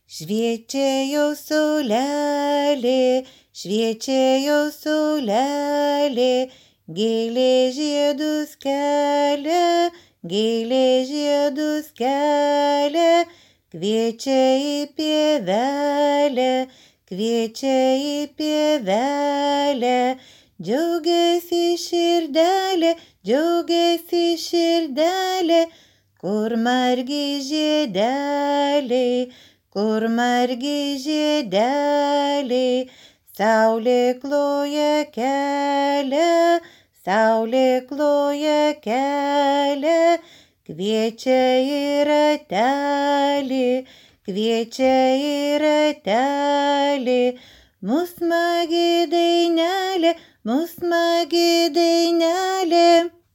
Šviečia jau saulelė, šviečia jau saulelė, gėlė žiedus kelia, gėlė žiedus kelia, kviečia į pievelę, kviečia į pievelę. Džiaugiasi širdelė, džiaugiasi širdelė, kur margi žiedeliai, kur margi žiedeliai. Saulė kloja kelią, saulė kloja kelią, kviečia į ratelį, kviečia į ratelį. Mus smagi dainelė, mus smagi dainelė.